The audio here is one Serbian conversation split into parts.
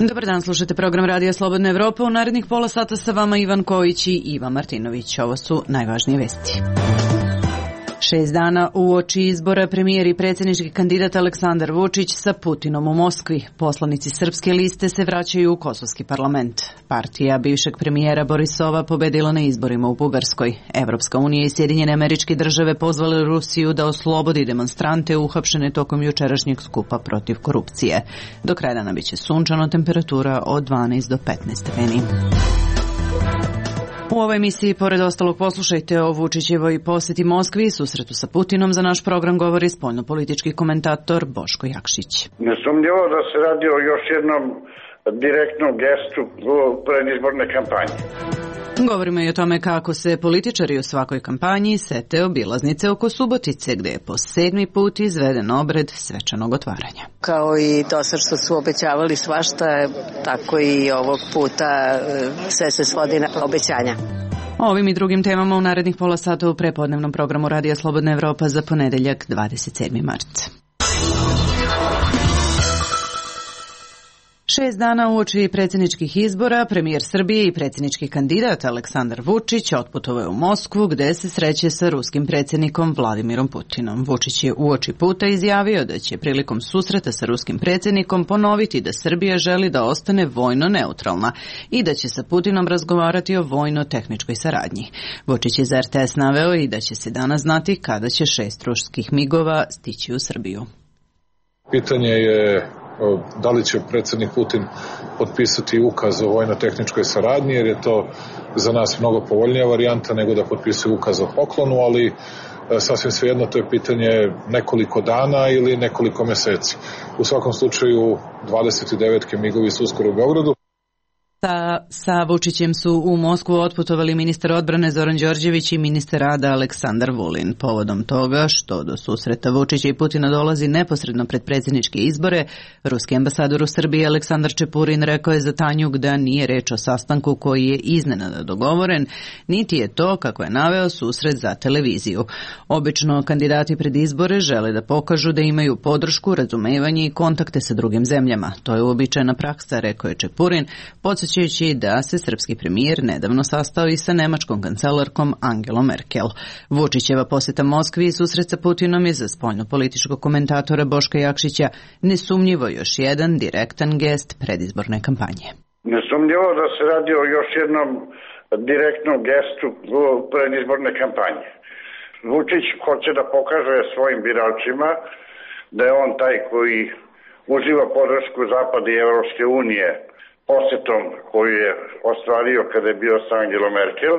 Dobar dan, slušate program Radija Slobodna Evropa. U narednih pola sata sa vama Ivan Kojić i Ivan Martinović. Ovo su najvažnije vesti. 6 dana uoči izbora premijer i predsjednički kandidat Aleksandar Vučić sa Putinom u Moskvi. Poslanici srpske liste se vraćaju u kosovski parlament. Partija bivšeg premijera Borisova pobedila na izborima u Bugarskoj. Evropska unija i Sjedinjene Američke Države pozvale Rusiju da oslobodi demonstrante uhapšene tokom jučerašnjeg skupa protiv korupcije. Do kraja dana biće sunčano, temperatura od 12 do 15 stepeni. U ovoj emisiji, pored ostalog, poslušajte o Vučićevoj posjeti Moskvi i susretu sa Putinom. Za naš program govori spoljnopolitički komentator Boško Jakšić. Nesumnjivo da se radi o još jednom direktnom gestu predizborne kampanje. Govorimo i o tome kako se političari u svakoj kampanji sete obilaznice oko Subotice, gde je po 7. put izveden obred svečanog otvaranja. Kao i to sad što su obećavali svašta, tako i ovog puta sve se svodi na obećanja. O ovim i drugim temama u narednih pola sata u prepodnevnom programu Radija Slobodna Evropa za ponedeljak 27. mart. 6 dana uoči predsjedničkih izbora, premijer Srbije i predsjednički kandidat Aleksandar Vučić otputovao je u Moskvu, gde se sreće sa ruskim predsjednikom Vladimirom Putinom. Vučić je uoči puta izjavio da će prilikom susreta sa ruskim predsjednikom ponoviti da Srbija želi da ostane vojno neutralna i da će sa Putinom razgovarati o vojno-tehničkoj saradnji. Vučić je za RTS naveo i da će se danas znati kada će 6 ruskih migova stići u Srbiju. Pitanje je da li će predsjednik Putin potpisati ukaz o vojno-tehničkoj saradnji, jer je to za nas mnogo povoljnija varijanta nego da potpisuje ukaz o poklonu, ali sasvim svejedno to je pitanje nekoliko dana ili nekoliko meseci. U svakom slučaju 29 migovi su uskoro u Beogradu. Sa Vučićem su u Moskvu otputovali ministar odbrane Zoran Đorđević i ministar rada Aleksandar Vulin. Povodom toga što do susreta Vučića i Putina dolazi neposredno pred predsjedničke izbore, ruski ambasador u Srbiji Aleksandar Čepurin rekao je za Tanjuk da nije reč o sastanku koji je iznenada dogovoren, niti je to, kako je naveo, susret za televiziju. Obično kandidati pred izbore žele da pokažu da imaju podršku, razumevanje i kontakte sa drugim zemljama. To je uobičajena praksa, rekao je Čepurin, podsjećajući da se srpski premijer nedavno sastao i sa nemačkom kancelarkom Angelom Merkel. Vučićeva posjeta Moskvi i susret sa Putinom je za spoljnopolitičkog komentatora Boška Jakšića nesumnjivo još jedan direktan gest predizborne kampanje. Nesumnjivo da se radi o još jednom direktnom gestu predizborne kampanje. Vučić hoće da pokaže svojim biračima da je on taj koji uživa podršku Zapada i Evropske unije posjetom koju je ostvario kada je bio sa Angelom Merkel,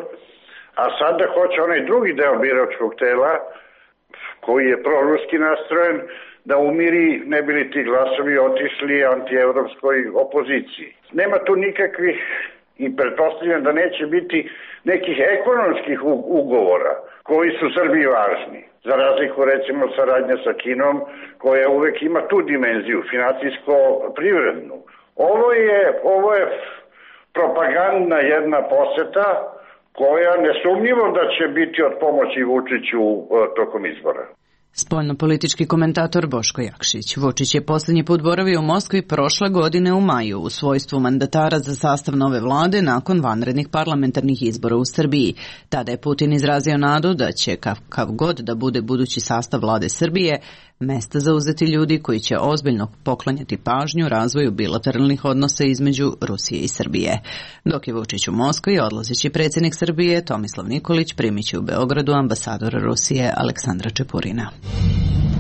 a sada hoće onaj drugi deo biračkog tela koji je proruski nastrojen da umiri, ne bi li ti glasovi otišli antievropskoj opoziciji. Nema tu nikakvih, i pretpostavljam da neće biti nekih ekonomskih ugovora koji su Srbiji važni, za razliku recimo saradnja sa Kinom koja uvek ima tu dimenziju, finansijsko-privrednu. Ovo je propagandna jedna poseta koja nesumnjivo da će biti od pomoći Vučiću tokom izbora. Spoljnopolitički komentator Boško Jakšić. Vučić je posljednji put boravio u Moskvi prošle godine u maju u svojstvu mandatara za sastav nove vlade nakon vanrednih parlamentarnih izbora u Srbiji. Tada je Putin izrazio nadu da će, kakav god da bude budući sastav vlade Srbije, mesta zauzeti ljudi koji će ozbiljno poklanjati pažnju razvoju bilateralnih odnosa između Rusije i Srbije. Dok je Vučić u Moskvi, odlazeći predsjednik Srbije Tomislav Nikolić primit će u Beogradu ambasadora Rusije Aleksandra Čepurina.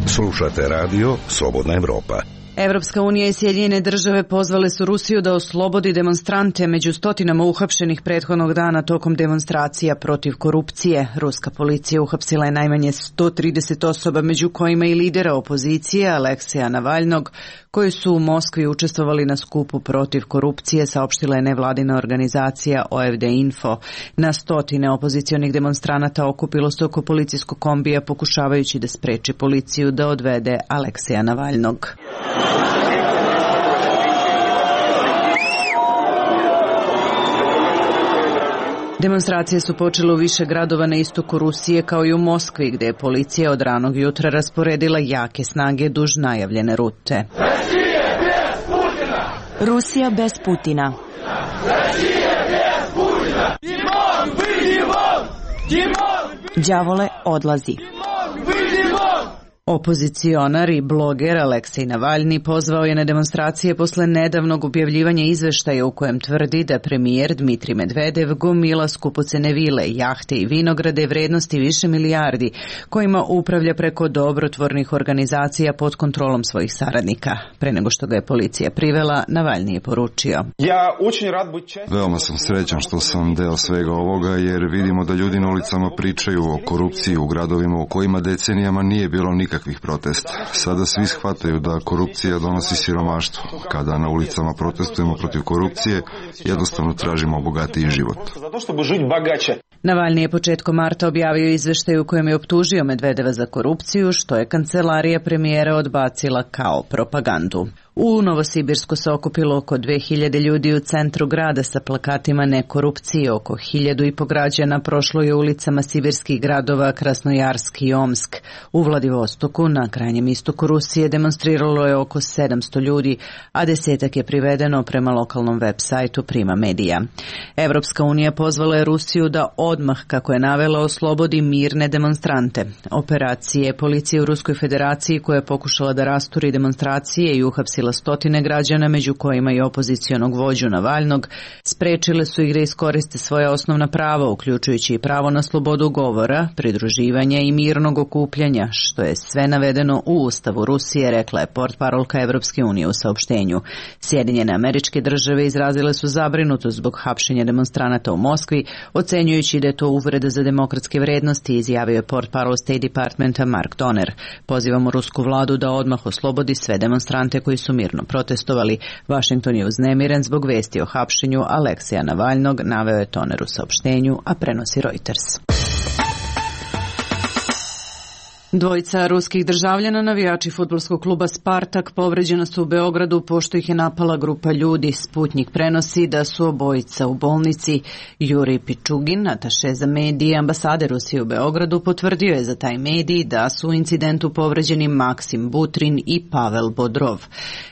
Slušate radio Slobodna Evropa. Evropska unija i Sjedinjene Države pozvale su Rusiju da oslobodi demonstrante među stotinama uhapšenih prethodnog dana tokom demonstracija protiv korupcije. Ruska policija uhapsila je najmanje 130 osoba, među kojima i lidera opozicije Alekseja Navalnog, koji su u Moskvi učestvovali na skupu protiv korupcije, saopštila je nevladina organizacija OFD Info. Na stotine opozicionih demonstranata okupilo se oko policijskog kombija pokušavajući da spreči policiju da odvede Alekseja Navalnog. Demonstracije su počele u više gradova na istoku Rusije kao i u Moskvi, gde je policija od ranog jutra rasporedila jake snage duž najavljene rute. Rusija bez Putina. Đavole odlazi. Opozicionar i bloger Aleksej Navalni pozvao je na demonstracije posle nedavnog objavljivanja izveštaja u kojem tvrdi da premijer Dmitrij Medvedev gomila skupocene vile, jahte i vinograde vrednosti više milijardi, kojima upravlja preko dobrotvornih organizacija pod kontrolom svojih saradnika. Pre nego što ga je policija privela, Navalni je poručio: Veoma sam srećan što sam deo svega ovoga, jer vidimo da ljudi na ulicama pričaju o korupciji u gradovima u kojima decenijama nije bilo nikakvih protesta. Sada svi shvataju da korupcija donosi siromaštvo. Kada na ulicama protestujemo protiv korupcije, jednostavno tražimo bogatiji život. Navalni je početkom marta objavio izveštaj u kojem je optužio Medvedeva za korupciju, što je kancelarija premijera odbacila kao propagandu. U Novosibirsku se okupilo oko 2000 ljudi u centru grada sa plakatima ne korupcije. Oko 1500 građana prošlo je ulicama sibirskih gradova Krasnojarsk i Omsk. U Vladivostoku, na krajnjem istoku Rusije, demonstriralo je oko 700 ljudi, a desetak je privedeno prema lokalnom web sajtu Prima Medija. Evropska unija pozvala je Rusiju da odmah, kako je navela, oslobodi mirne demonstrante. Operacije policije u Ruskoj federaciji, koja je pokušala da rasturi demonstracije i uhapsila stotine građana, među kojima i opozicionog vođu Navalnog, sprečile su ih da iskoriste svoja osnovna prava, uključujući i pravo na slobodu govora, pridruživanja i mirnog okupljanja, što je sve navedeno u Ustavu Rusije, rekla je portparolka Evropske unije u saopštenju. Sjedinjene Američke Države izrazile su zabrinutost zbog hapšenja demonstranata u Moskvi, ocenjujući da je to uvreda za demokratske vrednosti, izjavio je portparol State Departmenta Mark Donner. Pozivamo rusku vladu da odmah oslobodi sve demonstrante koji su mirno protestovali. Washington je uznemiren zbog vesti o hapšenju Alekseja Navalnog, naveo je Toner u saopštenju, a prenosi Reuters. Dvojica ruskih državljana, navijači fudbalskog kluba Spartak, povređena su u Beogradu pošto ih je napala grupa ljudi. Sputnik prenosi da su obojica u bolnici. Jurij Pičugin, ataše za medije ambasade Rusije u Beogradu, potvrdio je za taj medij da su u incidentu povređeni Maksim Butrin i Pavel Bodrov.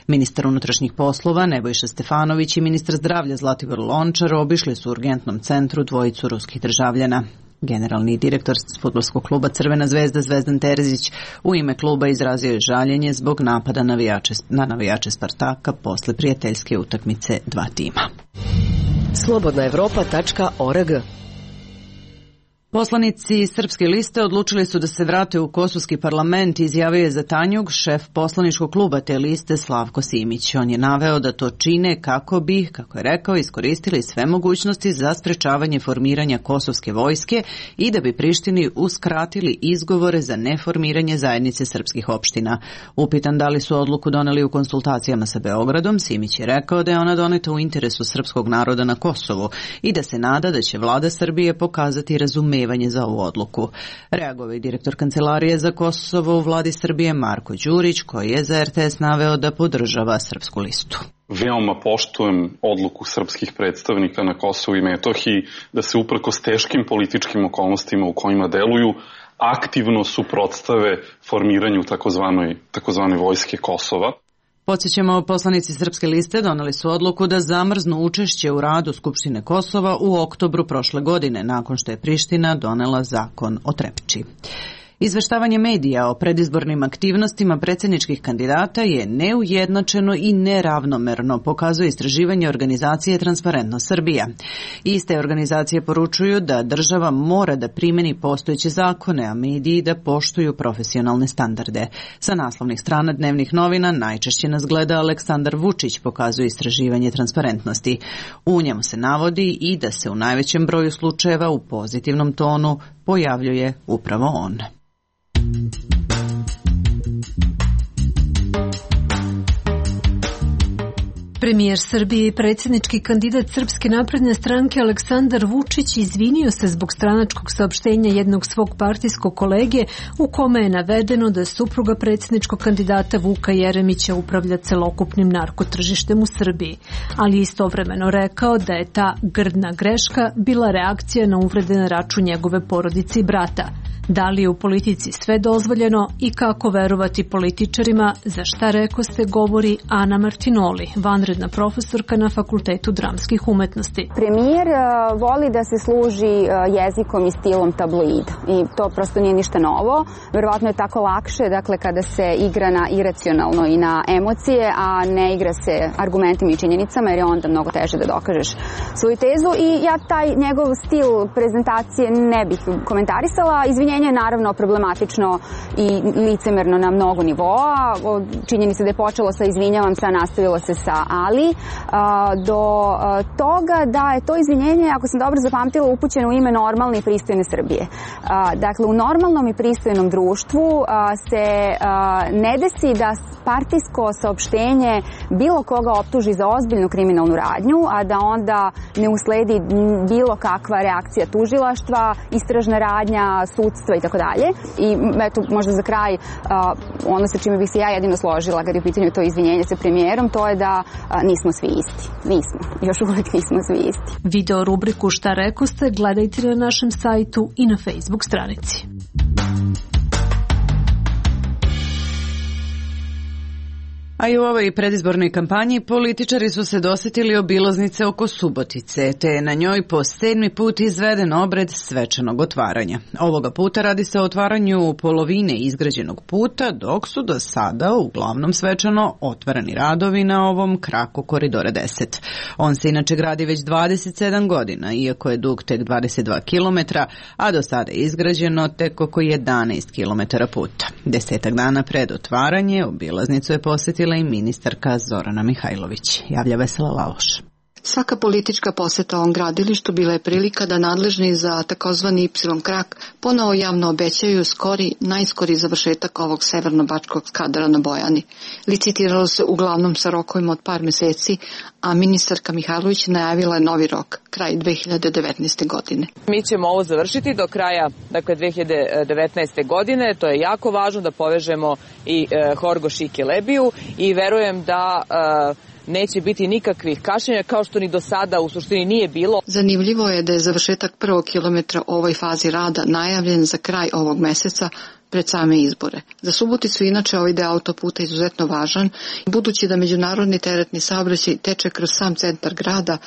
Ministar unutrašnjih poslova Nebojša Stefanović i ministar zdravlja Zlatibor Lončar obišli su u urgentnom centru dvojicu ruskih državljana. Generalni direktor fudbalskog kluba Crvena zvezda Zvezdan Terzić u ime kluba izrazio je žaljenje zbog napada na navijače Spartaka posle prijateljske utakmice dva tima. Slobodnaevropa.org. Poslanici Srpske liste odlučili su da se vrate u kosovski parlament, izjavio je za Tanjug šef poslaničkog kluba te liste Slavko Simić. On je naveo da to čine kako bi, kako je rekao, iskoristili sve mogućnosti za sprečavanje formiranja kosovske vojske i da bi Prištini uskratili izgovore za neformiranje zajednice srpskih opština. Upitan da li su odluku doneli u konsultacijama sa Beogradom, Simić je rekao da je ona doneta u interesu srpskog naroda na Kosovu i da se nada da će vlada Srbije pokazati razumevanje za ovu odluku. Reagovao je direktor Kancelarije za Kosovo u vladi Srbije Marko Đurić, koji je za RTS naveo da podržava Srpsku listu. Veoma poštujem odluku srpskih predstavnika na Kosovu i Metohiji da se uprkos teškim političkim okolnostima u kojima deluju aktivno suprotstave formiranju takozvane vojske Kosova. Podsjećamo, poslanici Srpske liste doneli su odluku da zamrznu učešće u radu Skupštine Kosova u oktobru prošle godine, nakon što je Priština donela zakon o Trepči. Izveštavanje medija o predizbornim aktivnostima predsjedničkih kandidata je neujednačeno i neravnomerno, pokazuje istraživanje organizacije Transparentno Srbija. Iste organizacije poručuju da država mora da primeni postojeće zakone, a mediji da poštuju profesionalne standarde. Sa naslovnih strana dnevnih novina najčešće nas gleda Aleksandar Vučić, pokazuje istraživanje Transparentnosti. U njemu se navodi i da se u najvećem broju slučajeva u pozitivnom tonu pojavljuje upravo on. Premijer Srbije i predsjednički kandidat Srpske napredne stranke Aleksandar Vučić izvinio se zbog stranačkog saopštenja jednog svog partijskog kolege u kome je navedeno da supruga predsjedničkog kandidata Vuka Jeremića upravlja celokupnim narkotržištem u Srbiji, ali istovremeno rekao da je ta grdna greška bila reakcija na uvrede na račun njegove porodice i brata. Da li je u politici sve dozvoljeno i kako verovati političarima, za šta rekoste govori Ana Martinoli, vanredna profesorka na Fakultetu dramskih umetnosti. Premijer voli da se služi jezikom i stilom tabloida i to prosto nije ništa novo. Verovatno je tako lakše, dakle, kada se igra na iracionalno i na emocije, a ne igra se argumentima i činjenicama, jer je onda mnogo teže da dokažeš svoju tezu i ja taj njegov stil prezentacije ne bih komentarisala. Izvinjenje je naravno problematično i licemerno na mnogo nivoa. Činjenica da je počelo sa izvinjavam se, a nastavilo se sa ali, do toga da je to izvinjenje, ako sam dobro zapamtila, upućeno u ime normalne i pristojne Srbije. Dakle, u normalnom i pristojnom društvu se ne desi da partijsko saopštenje bilo koga optuži za ozbiljnu kriminalnu radnju, a da onda ne usledi bilo kakva reakcija tužilaštva, istražna radnja, sudstva i tako dalje. I eto, možda za kraj, ono sa čime bih se ja jedino složila kad je u pitanju to izvinjenje sa premijerom, to je da nismo svi isti. Nismo. Još uvijek nismo svi isti. Video rubriku Šta rekoste gledajte na našem sajtu i na Facebook stranici. A i u ovoj predizbornoj kampanji političari su se dosetili obilaznice oko Subotice, te je na njoj po 7. put izveden obred svečanog otvaranja. Ovoga puta radi se o otvaranju polovine izgrađenog puta, dok su do sada uglavnom svečano otvarani radovi na ovom kraku Koridora 10. On se inače gradi već 27 godina, iako je dug tek 22 km, a do sada je izgrađeno tek oko 11 km puta. 10 dana pred otvaranje obilaznicu je posjetila i ministarka Zorana Mihajlović. Javlja Vesela Laloš. Svaka politička poseta ovom gradilištu bila je prilika da nadležni za takozvani Y krak ponovo javno obećaju najskori završetak ovog severno-bačkog skadra na Bojani. Licitiralo se uglavnom sa rokovima od par meseci, a ministarka Mihajlović najavila je novi rok, kraj 2019. godine. Mi ćemo ovo završiti do kraja 2019. godine, to je jako važno da povežemo i Horgoš i Kelebiju i verujem da neće biti nikakvih kašnjenja, kao što ni do sada u suštini nije bilo. Zanimljivo je da je završetak 1. kilometra u ovoj fazi rada najavljen za kraj ovog meseca pred same izbore. Za Suboticu inače ovaj deo autoputa izuzetno važan, budući da međunarodni teretni saobraćaj teče kroz sam centar grada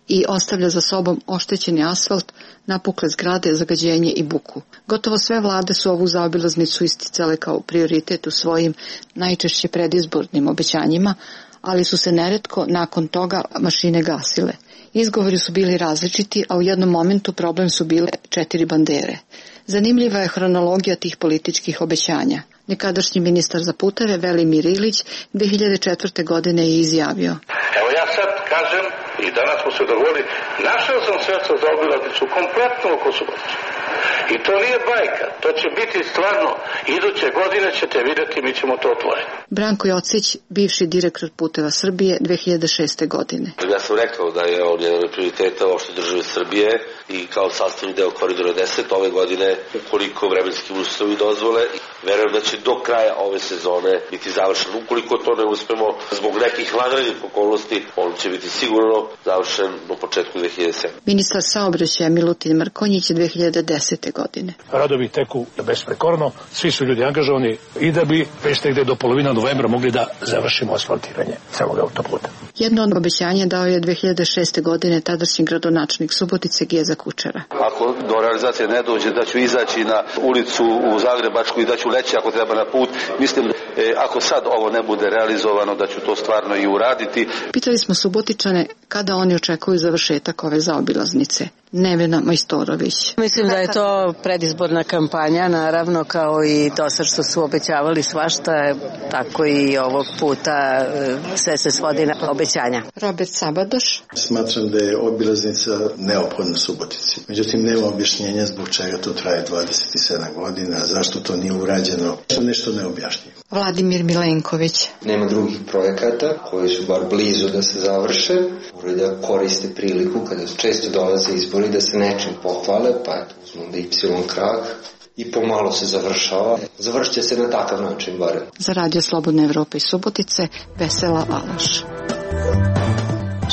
i ostavlja za sobom oštećeni asfalt, napukle zgrade, zagađenje i buku. Gotovo sve vlade su ovu zaobilaznicu isticale kao prioritet u svojim najčešće predizbornim obećanjima, ali su se neretko nakon toga mašine gasile. Izgovori su bili različiti, a u jednom momentu problem su bile 4 bandere. Zanimljiva je hronologija tih političkih obećanja. Nekadašnji ministar za puteve Velimir Ilić 2004. godine je izjavio: Evo ja sad kažem i danas smo se dogovorili, našao sam sredstva za obilaznicu kompletno oko Subotice. I to nije bajka, to će biti stvarno, iduće godine ćete vidjeti, mi ćemo to otvoriti. Branko Jocić, bivši direktor Puteva Srbije 2006. godine. Ja sam rekao da je on jedan od prioriteta opšte države Srbije i kao sastavni deo Koridora 10 ove godine, ukoliko vremenski uslovi dozvole, verujem da će do kraja ove sezone biti završen. Ukoliko to ne uspemo zbog nekih vanrednih okolnosti, on će biti sigurno završen do početku 2007. Ministar saobraćaja Milutin Mrkonjić 2010. godine. Radovi teku besprekorno, svi su ljudi angažovani i da bi već negde do polovina novembra mogli da završimo asfaltiranje celog autoputa. Jedno od obećanja dao je 2006. godine tadašnji gradonačelnik Subotice Geza Kučera. Ako do realizacije ne dođe, da ću izaći na ulicu u Zagrebačku i da ću leći ako treba na put. Mislim, ako sad ovo ne bude realizovano, da ću to stvarno i uraditi. Pitali smo Subotičane kada oni očekuju završetak ove zaobilaznice. Nevena Majstorović. Mislim da je to predizborna kampanja, naravno, kao i to sad što su obećavali svašta, tako i ovog puta sve se svodi na obećanja. Robert Sabadoš. Smatram da je obilaznica neophodna Subotici. Međutim, nema objašnjenja zbog čega to traje 27 godina, zašto to nije urađeno, nešto neobjašnjivo. Vladimir Milenković. Nema drugih projekata koji su bar blizu da se završe, moraju da koriste priliku kada često dolaze izbori da se nečim pohvale, pa eto, uzmem da Y krak i pomalo se završava. Završit će se na takav način barem. Za Radio Slobodne Evrope iz Subotice, Vesela Alaš.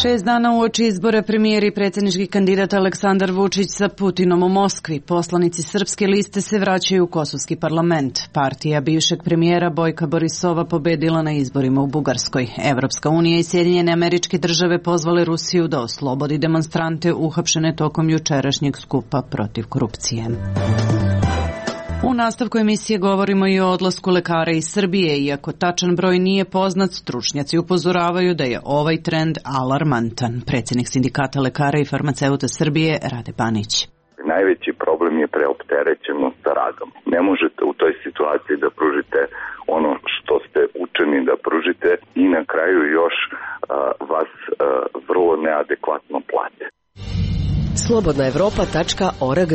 6 dana uoči izbora premijer i predsjednički kandidat Aleksandar Vučić sa Putinom u Moskvi. Poslanici srpske liste se vraćaju u kosovski parlament. Partija bivšeg premijera Bojka Borisova pobedila na izborima u Bugarskoj. Evropska unija i Sjedinjene Američke Države pozvale Rusiju da oslobodi demonstrante uhapšene tokom jučerašnjeg skupa protiv korupcije. U nastavku emisije govorimo i o odlasku lekara iz Srbije. Iako tačan broj nije poznat, stručnjaci upozoravaju da je ovaj trend alarmantan. Predsjednik Sindikata lekara i farmaceuta Srbije Rade Banić. Najveći problem je preopterećenost sa radom. Ne možete u toj situaciji da pružite ono što ste učeni da pružite i na kraju još vas vrlo neadekvatno plate. Slobodnaevropa.org.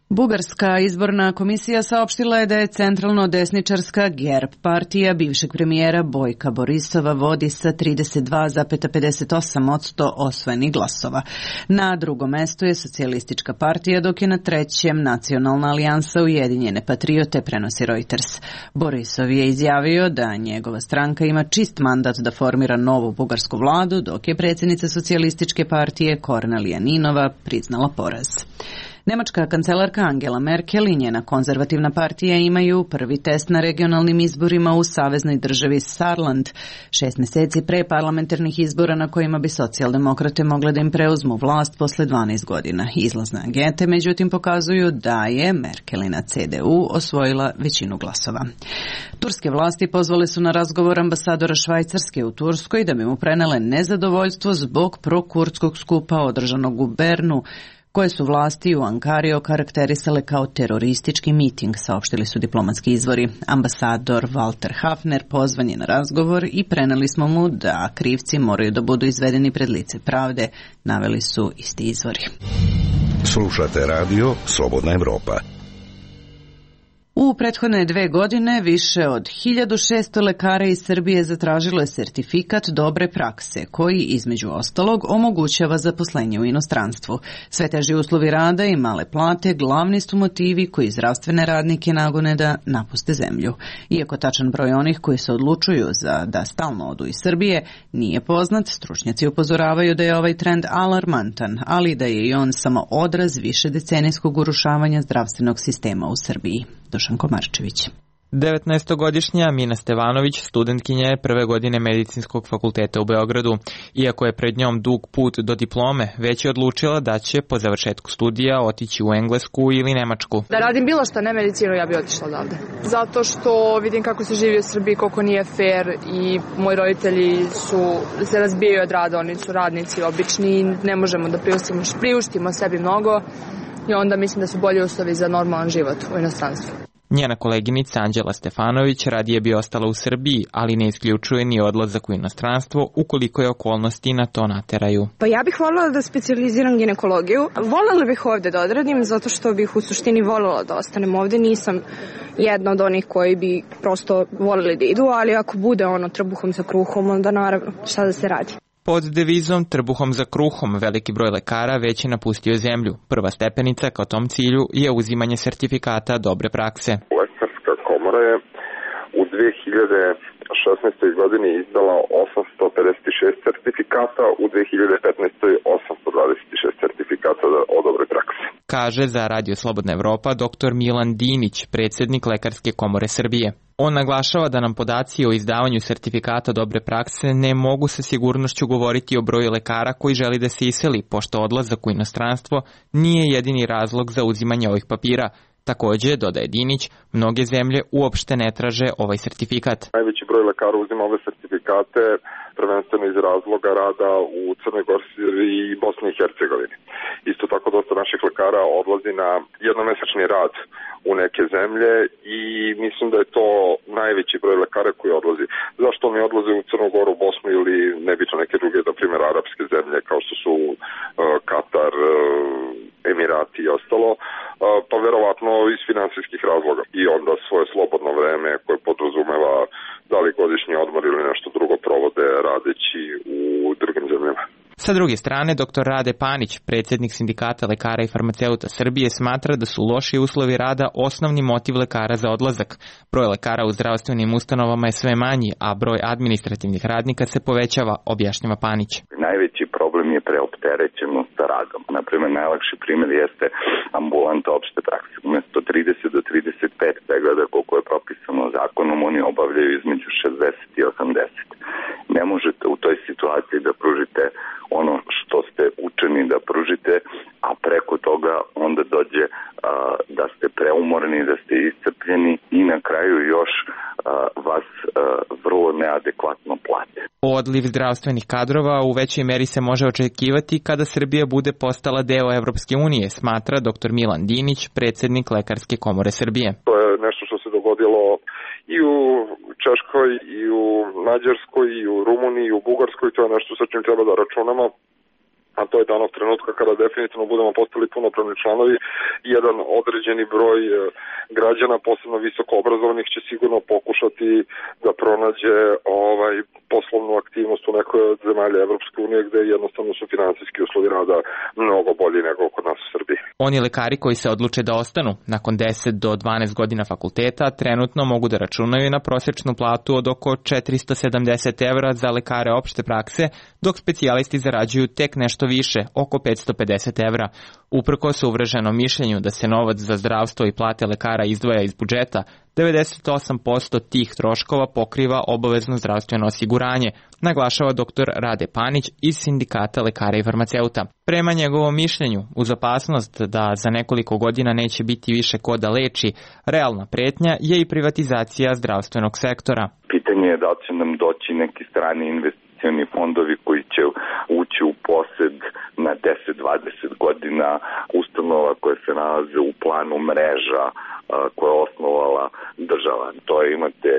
Bugarska izborna komisija saopštila je da je centralno desničarska GERB partija bivšeg premijera Bojka Borisova vodi sa 32,58% osvojenih glasova. Na drugom mestu je socijalistička partija, dok je na trećem Nacionalna alijansa Ujedinjene patriote, prenosi Reuters. Borisov je izjavio da njegova stranka ima čist mandat da formira novu bugarsku vladu, dok je predsjednica socijalističke partije Kornelija Ninova priznala poraz. Nemačka kancelarka Angela Merkel i njena konzervativna partija imaju prvi test na regionalnim izborima u saveznoj državi Saarland, 6 mjeseci pre parlamentarnih izbora na kojima bi socijaldemokrate mogle da im preuzmu vlast posle 12 godina. Izlazne ankete međutim pokazuju da je Merkelina CDU osvojila većinu glasova. Turske vlasti pozvale su na razgovor ambasadora Švajcarske u Turskoj da bi mu prenele nezadovoljstvo zbog prokurdskog skupa održanog u Bernu, koje su vlasti u Ankari okarakterisale kao teroristički miting, saopštili su diplomatski izvori. Ambasador Walter Hafner pozvan je na razgovor i preneli smo mu da krivci moraju da budu izvedeni pred lice pravde, naveli su isti izvori. Slušate radio Slobodna Evropa. U prethodne 2 godine više od 1600 lekara iz Srbije zatražilo je sertifikat dobre prakse, koji između ostalog omogućava zaposlenje u inostranstvu. Sve teži uslovi rada i male plate glavni su motivi koji zdravstvene radnike nagone da napuste zemlju. Iako tačan broj onih koji se odlučuju da stalno odu iz Srbije nije poznat, stručnjaci upozoravaju da je ovaj trend alarmantan, ali da je i on samo odraz višedecenijskog urušavanja zdravstvenog sistema u Srbiji. Dušan Komarčević. 19-godišnja Mina Stevanović studentkinja je prve godine medicinskog fakulteta u Beogradu. Iako je pred njom dug put do diplome, već je odlučila da će po završetku studija otići u Englesku ili Nemačku. Da radim bilo što, ne medicinu, ja bi otišla odavde. Zato što vidim kako se živi u Srbiji, koliko nije fair i moji roditelji se razbijaju od rada, oni su radnici obični i ne možemo da priuštimo sebi mnogo. I onda mislim da su bolji uslovi za normalan život u inostranstvu. Njena koleginica Anđela Stefanović radije bi ostala u Srbiji, ali ne isključuje ni odlazak u inostranstvo ukoliko je okolnosti na to nateraju. Pa ja bih voljela da specijaliziram ginekologiju. Voljela bih ovde da odradim zato što bih u suštini voljela da ostanem ovde. Nisam jedna od onih koji bi prosto voljeli da idu, ali ako bude trbuhom za kruhom, onda naravno šta da se radi. Pod devizom trbuhom za kruhom veliki broj lekara već je napustio zemlju. Prva stepenica ka tom cilju je uzimanje sertifikata dobre prakse. Lekarska komora je u 2016. godini izdala 856 sertifikata, u 2015. 826 sertifikata o dobre prakse. Kaže za Radio Slobodna Evropa dr. Milan Dinić, predsjednik Lekarske komore Srbije. On naglašava da nam podaci o izdavanju sertifikata dobre prakse ne mogu sa sigurnošću govoriti o broju lekara koji želi da se iseli, pošto odlazak u inostranstvo nije jedini razlog za uzimanje ovih papira. Također, dodaje Dinić, mnoge zemlje uopšte ne traže ovaj sertifikat. Najveći broj lekara uzima ove sertifikate prvenstveno iz razloga rada u Crnoj Gori i Bosni i Hercegovini. Isto tako dosta naših lekara odlazi na jednomesečni rad u neke zemlje i mislim da je to najveći broj lekara koji odlazi. Zašto oni odlaze u Crnu Goru, Bosnu ili nebitno neke druge, na primjer arapske zemlje kao što su Katar, Emirati i ostalo, pa verovatno iz finansijskih razloga. I onda svoje slobodno vreme koje podrazumeva da li godišnji odmor ili nešto drugo provode radeći u drugim zemljama. Sa druge strane, dr. Rade Panić, predsjednik Sindikata lekara i farmaceuta Srbije, smatra da su loši uslovi rada osnovni motiv lekara za odlazak. Broj lekara u zdravstvenim ustanovama je sve manji, a broj administrativnih radnika se povećava, objašnjava Panić. Najveći problem je preopterećenost sa radom. Naprimjer, najlakši primjer jeste ambulanta opšte prakse. Umjesto 30 do 35 pregleda koliko je propisano zakonom, oni obavljaju između 60 i 80. Ne možete u toj situaciji da pružite ono što ste učeni da pružite, a preko toga onda dođe da ste preumorni, da ste iscrpljeni i na kraju još vas vrlo neadekvatno plate. Odliv zdravstvenih kadrova u većoj meri se može očekivati kada Srbija bude postala deo Evropske unije, smatra dr. Milan Dinić, predsjednik Lekarske komore Srbije. To je nešto što se dogodilo i u Češkoj, i u Mađarskoj, i u Rumuniji, i u Bugarskoj. To je nešto sa čim treba da računamo, a to je danog trenutka kada definitivno budemo postali punopravni članovi. Jedan određeni broj građana, posebno visoko obrazovanih, će sigurno pokušati da pronađe poslovnu aktivnost u nekoj od zemalja Evropske unije, gde jednostavno su finansijski uslovi rada mnogo bolji nego kod nas u Srbiji. Oni lekari koji se odluče da ostanu nakon 10 do 12 godina fakulteta trenutno mogu da računaju na prosječnu platu od oko 470 evra za lekare opšte prakse, dok specijalisti zarađuju tek nešto više, oko 550 evra. Uprkos uvreženom mišljenju da se novac za zdravstvo i plate lekara izdvaja iz budžeta, 98% tih troškova pokriva obavezno zdravstveno osiguranje, naglašava dr. Rade Panić iz Sindikata lekara i farmaceuta. Prema njegovom mišljenju, uz opasnost da za nekoliko godina neće biti više ko da leči, realna pretnja je i privatizacija zdravstvenog sektora. Pitanje je da li će nam doći neki strani investicioni fondovi koji će ući u posed na 10-20 godina ustanova koje se nalaze u planu mreža koje je osnovala država. To je, imate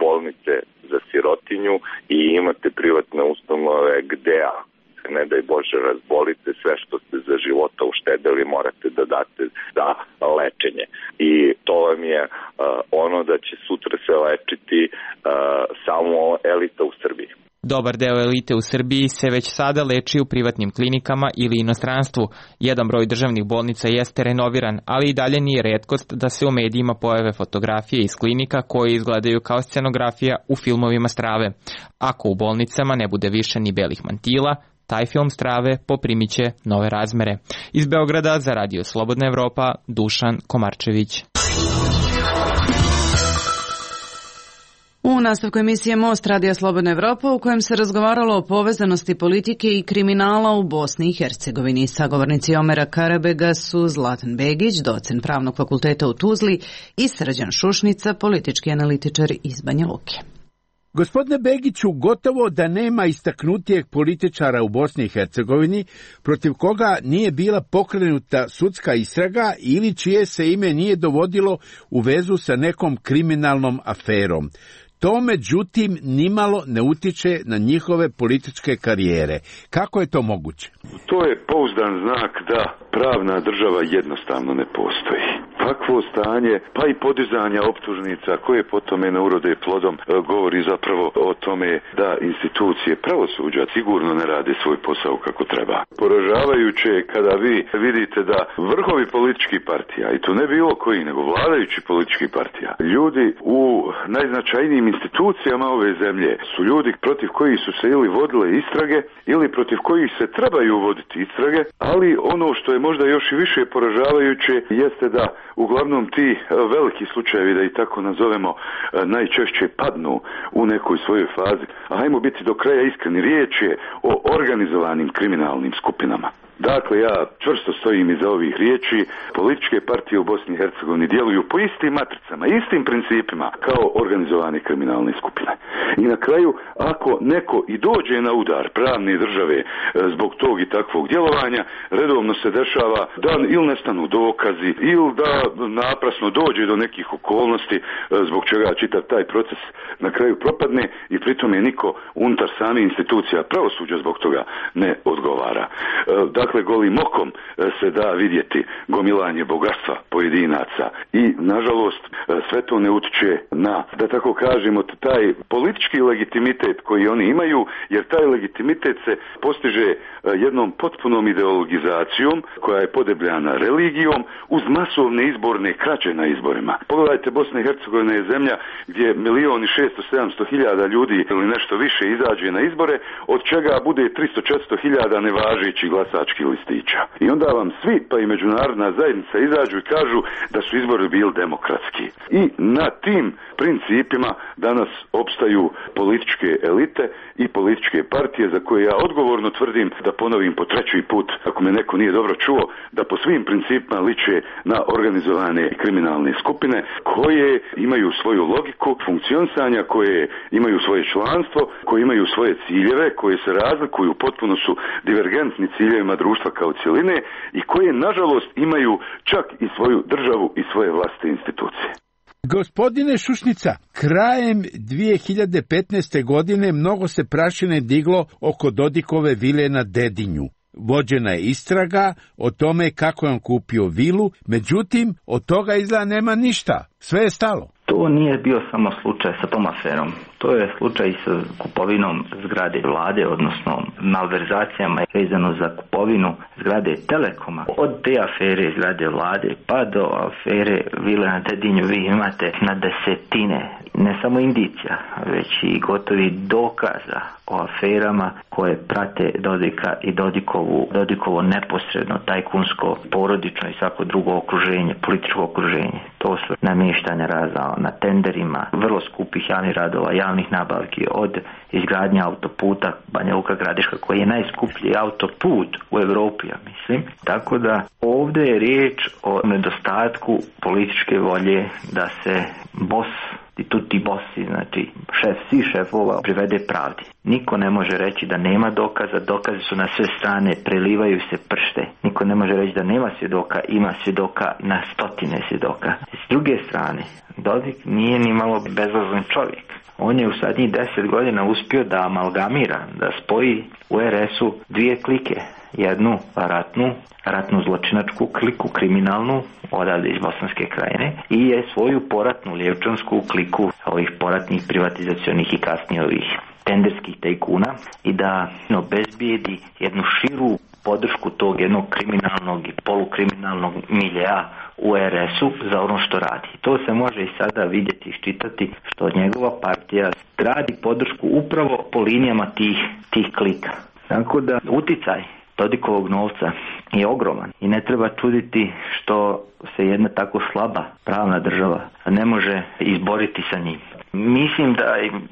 bolnice za sirotinju i imate privatne ustanove gde, ne daj Bože, razbolite, sve što ste za života uštedeli morate da date za lečenje. I to vam je ono da će sutra se lečiti samo elita u Srbiji. Dobar deo elite u Srbiji se već sada leči u privatnim klinikama ili inostranstvu. Jedan broj državnih bolnica jeste renoviran, ali i dalje nije retkost da se u medijima pojave fotografije iz klinika koje izgledaju kao scenografija u filmovima strave. Ako u bolnicama ne bude više ni belih mantila, taj film strave poprimiće nove razmere. Iz Beograda za Radio Slobodna Evropa, Dušan Komarčević. U nastavku emisije Most Radija Slobodna Evropa, u kojem se razgovaralo o povezanosti politike i kriminala u Bosni i Hercegovini. Sagovornici Omera Karabega su Zlatan Begić, docent Pravnog fakulteta u Tuzli, i Srđan Šušnica, politički analitičar iz Banja Luke. Gospodine Begiću, gotovo da nema istaknutijeg političara u Bosni i Hercegovini protiv koga nije bila pokrenuta sudska istraga ili čije se ime nije dovodilo u vezu sa nekom kriminalnom aferom. To, međutim, nimalo ne utiče na njihove političke karijere. Kako je to moguće? To je pouzdan znak da pravna država jednostavno ne postoji. Takvo stanje, pa i podizanja optužnica koje po tome ne urode plodom, govori zapravo o tome da institucije pravosuđa sigurno ne rade svoj posao kako treba. Poražavajuće je kada vi vidite da vrhovi političkih partija, i to ne bilo koji, nego vladajući političkih partija, ljudi u najznačajnijim institucijama ove zemlje su ljudi protiv kojih su se ili vodile istrage ili protiv kojih se trebaju voditi istrage, ali ono što je možda još i više poražavajuće jeste da uglavnom ti veliki slučajevi, da i tako nazovemo, najčešće padnu u nekoj svojoj fazi. A hajmo biti do kraja iskreni, riječ je o organizovanim kriminalnim skupinama. Dakle, ja čvrsto stojim iza ovih riječi. Političke partije u Bosni i Hercegovini djeluju po istim matricama, istim principima kao organizovane kriminalne skupine. I na kraju, ako neko i dođe na udar pravne države zbog tog i takvog djelovanja, redovno se dešava da ili nestanu dokazi, ili da naprasno dođe do nekih okolnosti zbog čega čitav taj proces na kraju propadne i pritome niko unutar same institucija pravosuđa zbog toga ne odgovara. Dakle, golim okom se da vidjeti gomilanje bogatstva pojedinaca i, nažalost, sve to ne utiče na, da tako kažemo, taj politički legitimitet koji oni imaju, jer taj legitimitet se postiže jednom potpunom ideologizacijom koja je podebljana religijom uz masovne izborne krađe na izborima. Pogledajte, Bosna i Hercegovina je zemlja gdje 1.600.000 ljudi ili nešto više izađe na izbore, od čega bude 300-400.000 nevažećih glasačkih listića. I onda vam svi, pa i međunarodna zajednica, izađu i kažu da su izbori bili demokratski. I na tim principima danas opstaju političke elite i političke partije za koje ja odgovorno tvrdim, da ponovim po treći put, ako me neko nije dobro čuo, da po svim principima liče na organizovane kriminalne skupine koje imaju svoju logiku funkcionisanja, koje imaju svoje članstvo, koje imaju svoje ciljeve, koje se razlikuju, potpuno su divergentni ciljevima društva kao cjeline i koje, nažalost, imaju čak i svoju državu i svoje vlastite institucije. Gospodine Šušnica, krajem 2015. godine mnogo se prašine diglo oko Dodikove vile na Dedinju. Vođena je istraga o tome kako je on kupio vilu, međutim, od toga izgleda nema ništa. Sve je stalo. To nije bio samo slučaj sa tom aferom. To je slučaj sa kupovinom zgrade vlade, odnosno malverzacijama vezano za kupovinu zgrade Telekoma. Od te afere zgrade vlade pa do afere vile na Dedinju vi imate na desetine, ne samo indicija, već i gotovi dokaza o aferama koje prate Dodika i Dodikovo neposredno tajkunsko, porodično i svako drugo okruženje, političko okruženje. To su namještanja razna na tenderima, vrlo skupih javnih radova, javnih nabavki, od izgradnje autoputa Banja Luka Gradiška, koji je najskuplji autoput u Europi, ja mislim. Tako da ovdje je riječ o nedostatku političke volje da se i tutti bossi, znači svih šefova privede pravdi. Niko ne može reći da nema dokaza, dokazi su na sve strane, prelivaju se pršte. Niko ne može reći da nema svjedoka, ima svjedoka na stotine svjedoka. S druge strane, Dodik nije ni malo bezazlen čovjek. On je u zadnjih 10 godina uspio da amalgamira, da spoji u RS-u dvije klike. Jednu ratnu zločinačku kliku, kriminalnu, odavde iz Bosanske Krajine, i je svoju poratnu lijevčansku kliku ovih poratnih privatizacionih i kasnije ovih tenderskih tajkuna i da obezbijedi jednu širu podršku tog jednog kriminalnog i polukriminalnog miljeja u RS-u za ono što radi. To se može i sada vidjeti i iščitati što njegova partija radi podršku upravo po linijama tih klika. Tako da uticaj Dodikovog novca je ogroman i ne treba čuditi što se jedna tako slaba pravna država ne može izboriti sa njim. Mislim da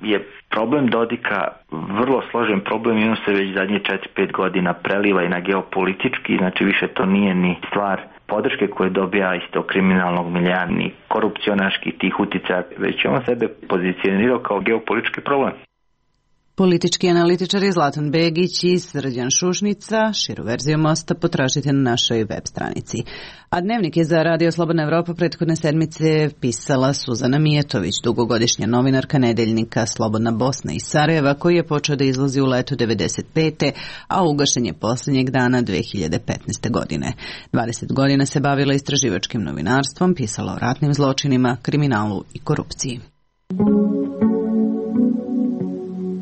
je problem Dodika vrlo složen problem i on se već zadnje 4-5 godina preliva i na geopolitički, znači više to nije ni stvar podrške koje dobija iz tog kriminalnog miljeja, ni korupcionaških tih uticaja, već on sebe pozicionirao kao geopolitički problem. Politički analitičari Zlatan Begić i Srđan Šušnica. Širu verziju Mosta potražite na našoj web stranici. A dnevnik je za Radio Slobodna Evropa prethodne sedmice pisala Suzana Mijetović, dugogodišnja novinarka nedeljnika Slobodna Bosna iz Sarajeva, koji je počeo da izlazi u letu 1995. a ugašen je posljednjeg dana 2015. godine. 20 godina se bavila istraživačkim novinarstvom, pisala o ratnim zločinima, kriminalu i korupciji.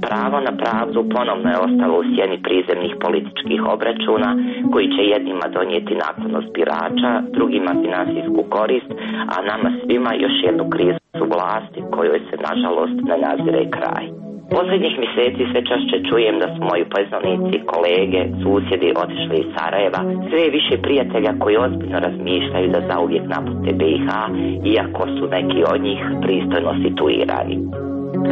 Pravo na pravdu ponovno je ostalo u sjeni prizemnih političkih obračuna koji će jednima donijeti naklonost birača, drugima finansijsku korist, a nama svima još jednu krizu vlasti kojoj se nažalost ne nazire kraj. Posljednjih mjeseci sve češće čujem da su moji poznanici, kolege, susjedi otišli iz Sarajeva, sve više prijatelja koji ozbiljno razmišljaju da zauvijek napuste BiH, iako su neki od njih pristojno situirani.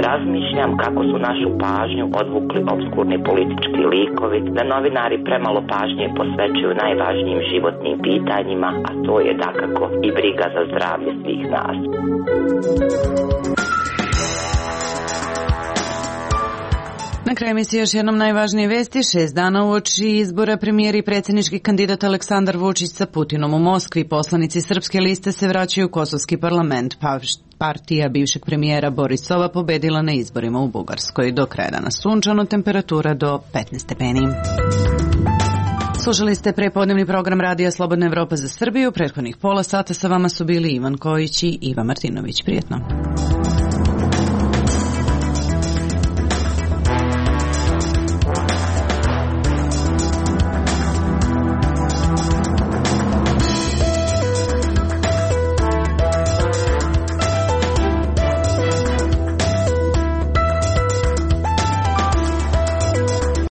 Razmišljam kako su našu pažnju odvukli obskurni politički likovi, da novinari premalo pažnje posvećuju najvažnijim životnim pitanjima, a to je dakako i briga za zdravlje svih nas. Na kraju emisije još jednom najvažnije vesti. 6 dana uoči izbora premijer i predsjednički kandidat Aleksandar Vučić sa Putinom u Moskvi. Poslanici Srpske liste se vraćaju u Kosovski parlament. Partija bivšeg premijera Borisova pobedila na izborima u Bugarskoj. Do kraja dana sunčano, temperatura do 15 stepeni. Slušali ste prepodnevni program Radija Slobodna Evropa za Srbiju. Prethodnih pola sata sa vama su bili Ivan Kojić i Iva Martinović. Prijetno.